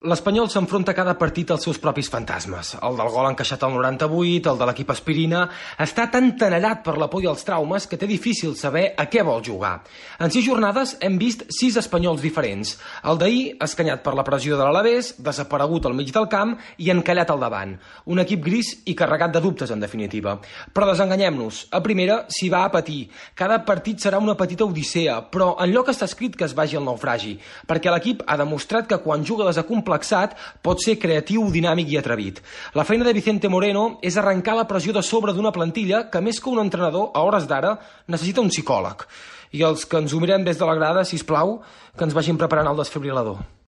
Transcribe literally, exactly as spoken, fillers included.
L'Espanyol s'enfronta cada partit als seus propis fantasmes. El del gol encaixat al noranta-vuit, el de l'equip aspirina... Està tan tenallat per la por i els traumes que té difícil saber a què vol jugar. En sis jornades hem vist sis espanyols diferents. El d'ahir, escanyat per la pressió de l'Alavés, desaparegut al mig del camp i encallat al davant. Un equip gris i carregat de dubtes, en definitiva. Però desenganyem-nos. A primera s'hi va a patir. Cada partit serà una petita odissea, però enlloc està escrit que es vagi al naufragi, perquè l'equip ha demostrat que quan juga desacomplet pot ser creatiu, dinàmic i atrevit. La feina de Vicente Moreno és arrencar la pressió de sobre d'una plantilla que, més que un entrenador, a hores d'ara, necessita un psicòleg. I els que ens ho mirem des de la grada, sisplau, que ens vagin preparant el desfibril·lador.